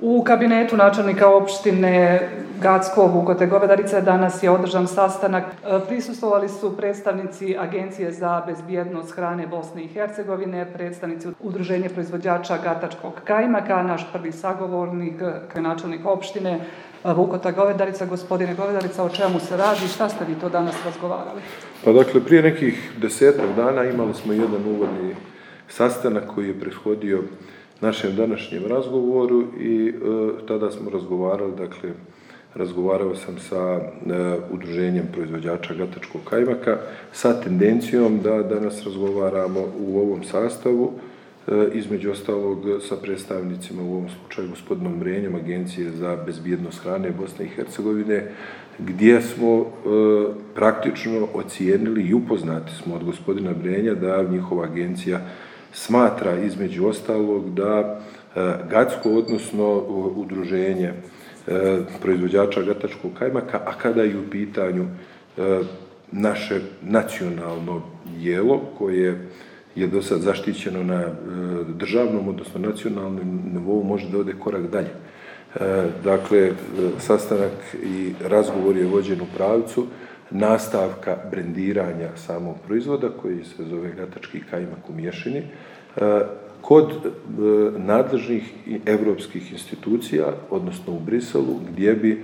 U kabinetu načelnika opštine Gacko, Vukote, Govedarica danas je održan sastanak. Prisustvovali su predstavnici Agencije za bezbjednost hrane Bosne i Hercegovine, predstavnici Udruženja proizvođača gatačkog kajmaka, naš prvi sagovornik, načelnik opštine Vukota, Govedarica. Gospodine Govedarica, o čemu se radi? Šta ste vi to danas razgovarali? Pa dakle, prije nekih 10 dana imali smo jedan uvodni sastanak koji je prethodio našem današnjem razgovoru i tada smo razgovarali, dakle, razgovarao sam sa Udruženjem proizvođača gatačkog kajmaka sa tendencijom da danas razgovaramo u ovom sastavu, između ostalog sa predstavnicima, u ovom slučaju gospodinom Brenjom, Agencije za bezbjednost hrane Bosne i Hercegovine, gdje smo praktično ocijenili i upoznati smo od gospodina Brenja da njihova agencija smatra između ostalog da Gacko, odnosno Udruženje proizvođača gatačkog kajmaka, a kada je u pitanju naše nacionalno jelo koje je do sad zaštićeno na državnom, odnosno nacionalnom nivou, može da ode korak dalje. Dakle, sastanak i razgovor je vođen u pravcu nastavka brendiranja samog proizvoda koji se zove gatački kajmak u mješini kod nadležnih i evropskih institucija, odnosno u Briselu, gdje bi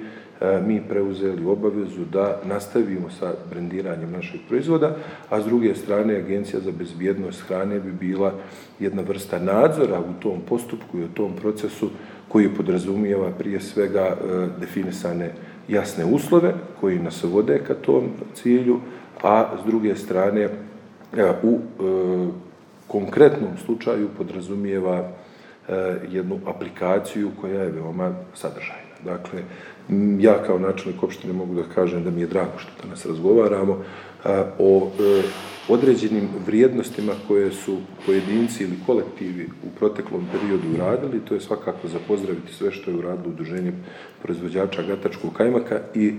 mi preuzeli obavezu da nastavimo sa brendiranjem našeg proizvoda, a s druge strane Agencija za bezbjednost hrane bi bila jedna vrsta nadzora u tom postupku i u tom procesu koji podrazumijeva prije svega definisane jasne uslove koji nas vode ka tom cilju, a s druge strane u konkretnom slučaju podrazumijeva jednu aplikaciju koja je veoma sadržajna. Dakle, ja kao načelnik opštine mogu da kažem da mi je drago što danas razgovaramo o određenim vrijednostima koje su pojedinci ili kolektivi u proteklom periodu uradili. To je svakako za pozdraviti sve što je uradilo Udruženje proizvođača gatačkog kajmaka i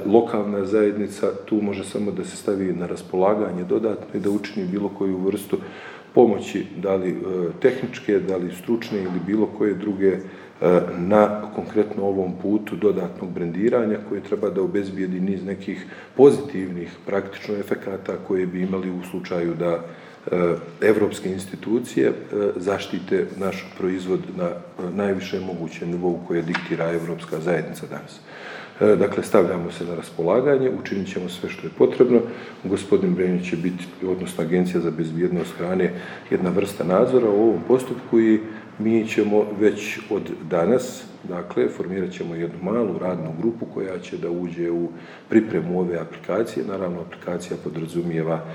lokalna zajednica tu može samo da se stavi na raspolaganje dodatno i da učini bilo koju vrstu pomoći, da li tehničke, da li stručne ili bilo koje druge na konkretno ovom putu dodatnog brendiranja koje treba da obezbijedi niz nekih pozitivnih praktično efekata koje bi imali u slučaju da evropske institucije zaštite naš proizvod na najvišem mogućem nivou koje diktira Evropska zajednica danas. Dakle, stavljamo se na raspolaganje, učinit ćemo sve što je potrebno. Gospodin Brenjić će biti, odnosno Agencija za bezbjednost hrane, jedna vrsta nadzora u ovom postupku i mi ćemo već od danas, dakle, formirat ćemo jednu malu radnu grupu koja će da uđe u pripremu ove aplikacije. Naravno, aplikacija podrazumijeva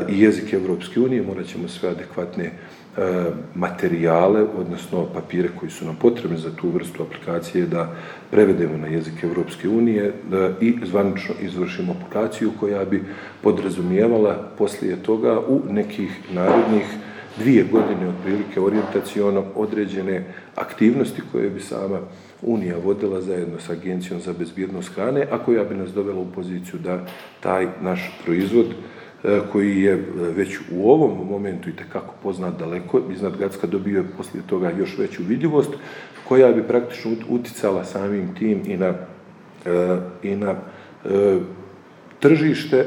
i jezik Evropske unije, morat ćemo sve adekvatne materijale, odnosno papire koji su nam potrebni za tu vrstu aplikacije da prevedemo na jezik Evropske unije i zvanično izvršimo aplikaciju koja bi podrazumijevala poslije toga u nekih narednih 2 godine otprilike orijentaciono određene aktivnosti koje bi sama Unija vodila zajedno sa Agencijom za bezbjednost hrane, a koja bi nas dovela u poziciju da taj naš proizvod koji je već u ovom momentu itekako poznat daleko iznad Gacka, dobio je poslije toga još veću vidljivost, koja bi praktično uticala samim tim i na tržište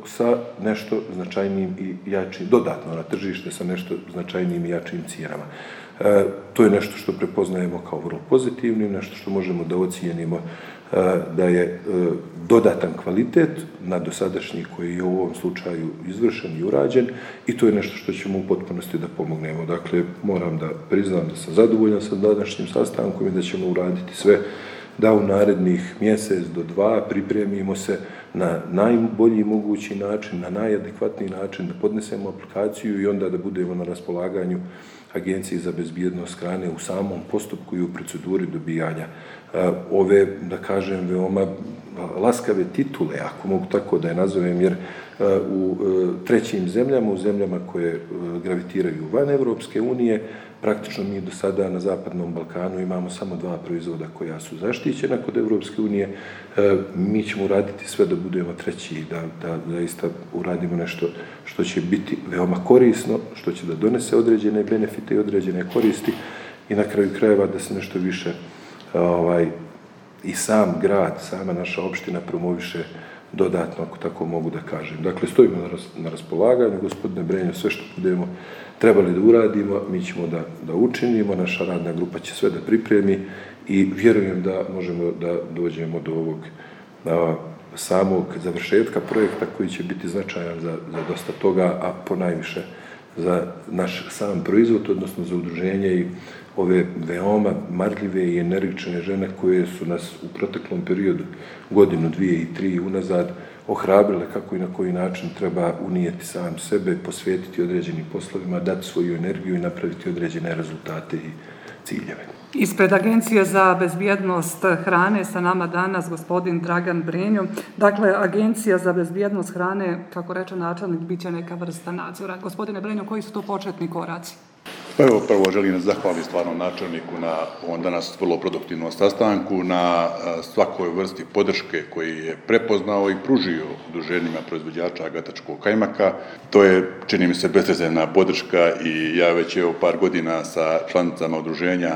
sa nešto značajnijim i jačim, dodatno na tržište sa nešto značajnijim i jačim cijenama. To je nešto što prepoznajemo kao vrlo pozitivno, nešto što možemo da ocijenimo da je dodatan kvalitet na dosadašnji koji je u ovom slučaju izvršen i urađen i to je nešto što ćemo u potpunosti da pomognemo. Dakle, moram da priznam da sam zadovoljan sa današnjim sastankom i da ćemo uraditi sve da u narednih mjesec do 2 pripremimo se na najbolji mogući način, na najadekvatniji način, da podnesemo aplikaciju i onda da budemo na raspolaganju Agenciji za bezbjednost hrane u samom postupku i u proceduri dobijanja ove, da kažem, veoma laskave titule, ako mogu tako da je nazovem, jer u trećim zemljama, u zemljama koje gravitiraju van Evropske unije, praktično mi do sada na Zapadnom Balkanu imamo samo 2 proizvoda koja su zaštićena kod Evropske unije. Mi ćemo uraditi sve da budemo treći i da zaista uradimo nešto što će biti veoma korisno, što će da donese određene benefite i određene koristi i na kraju krajeva da se nešto više i sam grad, sama naša opština promoviše dodatno, ako tako mogu da kažem. Dakle, stojimo na raspolaganju, gospodine Brenjo, sve što budemo trebali da uradimo, mi ćemo da učinimo, naša radna grupa će sve da pripremi i vjerujem da možemo da dođemo do ovog samog završetka projekta koji će biti značajan za dosta toga, a ponajviše za naš sam proizvod, odnosno za udruženje i ove veoma marljive i energične žene koje su nas u proteklom periodu, godinu, 2 i 3 unazad, ohrabrile kako i na koji način treba unijeti sam sebe, posvetiti određenim poslovima, dati svoju energiju i napraviti određene rezultate i ciljeve. Ispred Agencije za bezbjednost hrane sa nama danas gospodin Dragan Brenjo. Dakle, Agencija za bezbjednost hrane, kako reče načelnik, bit će neka vrsta nadzora. Gospodine Brenjo, koji su to početni koraci? Pa evo, prvo želim zahvaliti stvarno načelniku na ovom danas vrlo produktivnom sastanku, na svakoj vrsti podrške koji je prepoznao i pružio udruženjima proizvođača gatačkog kajmaka. To je, čini mi se, bezrezervna podrška i ja već par godina sa članicama udruženja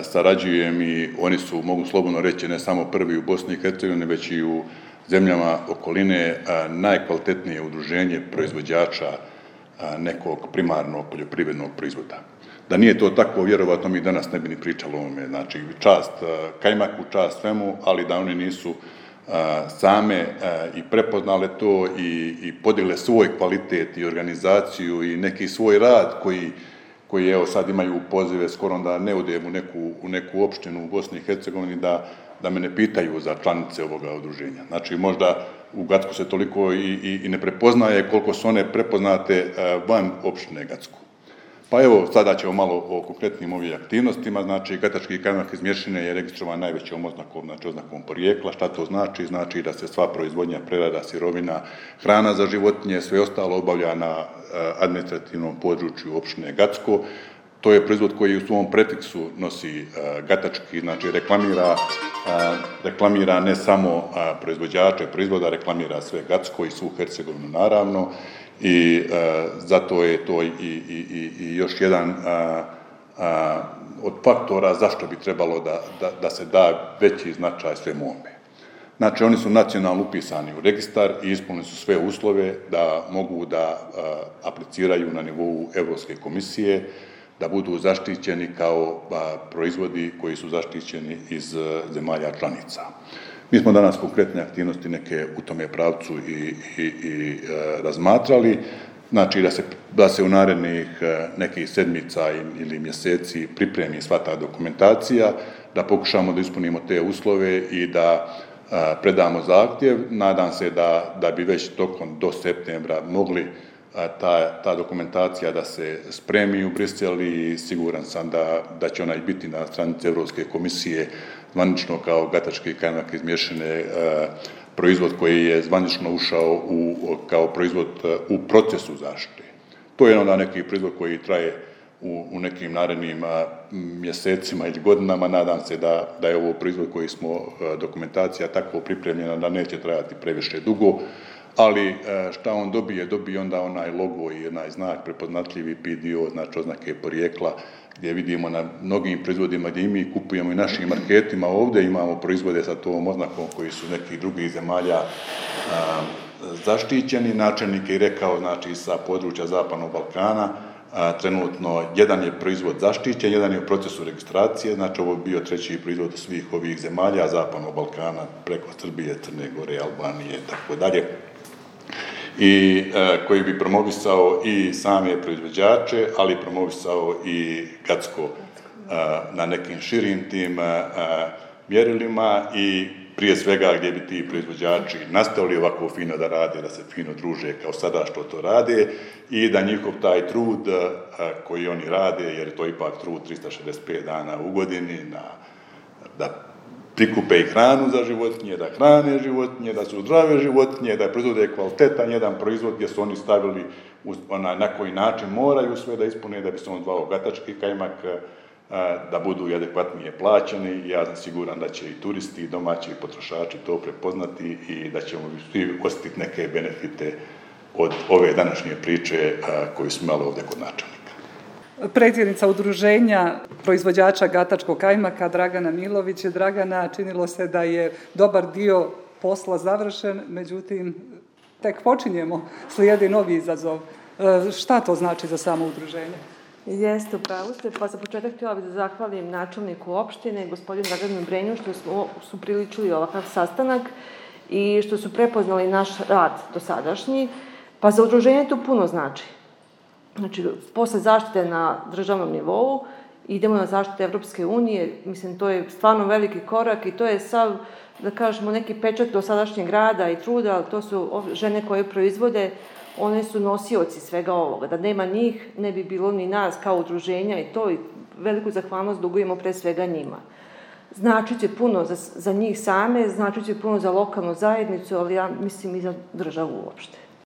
sarađujem i oni su, mogu slobodno reći, ne samo prvi u Bosni i Hercegovini, već i u zemljama okoline najkvalitetnije udruženje proizvođača nekog primarnog poljoprivrednog proizvoda. Da nije to tako, vjerovatno mi danas ne bi ni pričali o ovome. Znači, čast kajmaku, čast svemu, ali da oni nisu same i prepoznale to i podigli svoj kvalitet i organizaciju i neki svoj rad koji evo sad imaju pozive, skoro da ne odem u neku opštinu u Bosni i Hercegovini da me ne pitaju za članice ovoga udruženja. Znači, možda u Gacku se toliko i ne prepoznaje koliko su one prepoznate van opštine Gacku. Pa evo, sada ćemo malo o konkretnim ovim aktivnostima. Znači, gatački kajmak iz Mješine je registrovan najvećom oznakom, znači oznakom porijekla. Šta to znači? Znači da se sva proizvodnja, prerada, sirovina, hrana za životinje, sve ostalo obavlja na administrativnom području opštine Gacko. To je proizvod koji u svom prefiksu nosi gatački, znači reklamira ne samo proizvođače proizvoda, reklamira sve Gacko i svu Hercegovinu naravno i zato je to i još jedan od faktora zašto bi trebalo da se da veći značaj svemu ovome. Znači, oni su nacionalno upisani u registar i ispunili su sve uslove da mogu da apliciraju na nivou Evropske komisije, da budu zaštićeni kao proizvodi koji su zaštićeni iz zemalja članica. Mi smo danas konkretne aktivnosti neke u tome pravcu i razmatrali, znači da se u narednih nekih sedmica ili mjeseci pripremi sva ta dokumentacija, da pokušamo da ispunimo te uslove i da predamo zahtjev. Nadam se da bi već tokom do septembra mogli ta dokumentacija da se spremi u Brisel i siguran sam da će ona i biti na stranici Evropske komisije zvanično kao gatački kajmak iz Mješine, proizvod koji je zvanično ušao kao proizvod u procesu zaštite. To je onda neki proizvod koji traje u nekim narednim mjesecima ili godinama. Nadam se da je ovo proizvod koji smo dokumentacija tako pripremljena da neće trajati previše dugo, ali šta on dobije onda onaj logo i onaj znak prepoznatljivi PDO, znači oznake porijekla, gdje vidimo na mnogim proizvodima gdje i mi kupujemo i našim marketima. Ovdje imamo proizvode sa tom oznakom koji su nekih drugih zemalja zaštićeni. Načelnik je rekao, znači sa područja Zapadnog Balkana, trenutno jedan je proizvod zaštićen, jedan je u procesu registracije, znači ovo je bio treći proizvod svih ovih zemalja Zapadnog Balkana preko Srbije, Crne Gore, Albanije i tako dalje. I koji bi promovisao i same proizvođače, ali promovisao i Gacko na nekim širim tim mjerilima i prije svega gdje bi ti proizvođači nastavili ovako fino da rade, da se fino druže kao sada što to rade i da njihov taj trud koji oni rade, jer je to ipak trud 365 dana u godini, da prikupe i hranu za životinje, da hrane životinje, da su zdrave životinje, da proizvode kvalitetan jedan proizvod gdje su oni stavili na koji način moraju sve da ispune da bi se on zvao gatački kajmak, da budu i adekvatnije plaćeni. Ja sam siguran da će i turisti i domaći potrošači to prepoznati i da ćemo svi osjetiti neke benefite od ove današnje priče koju smo imali ovdje kod načelnika. predsjednica udruženja proizvođača gatačkog kajmaka Dragana Milović. Dragana, činilo se da je dobar dio posla završen, međutim, tek počinjemo, slijedi novi izazov. Šta to znači za samo udruženje? Jeste, upravo ste. Pa za početak htjela bih da zahvalim načelniku opštine, gospodinu Draganu Brenju, što su priličili ovakav sastanak i što su prepoznali naš rad dosadašnji. Pa za udruženje to puno znači. Znači, posle zaštite na državnom nivou, idemo na zaštitu Evropske unije. Mislim, to je stvarno veliki korak i to je sav, da kažemo, neki pečat dosadašnjeg rada i truda, ali to su žene koje proizvode, one su nosioci svega ovoga. Da nema njih, ne bi bilo ni nas kao udruženja i to, i veliku zahvalnost dugujemo pre svega njima. Značiće puno za njih same, značiće puno za lokalnu zajednicu, ali ja mislim i za državu uopšte.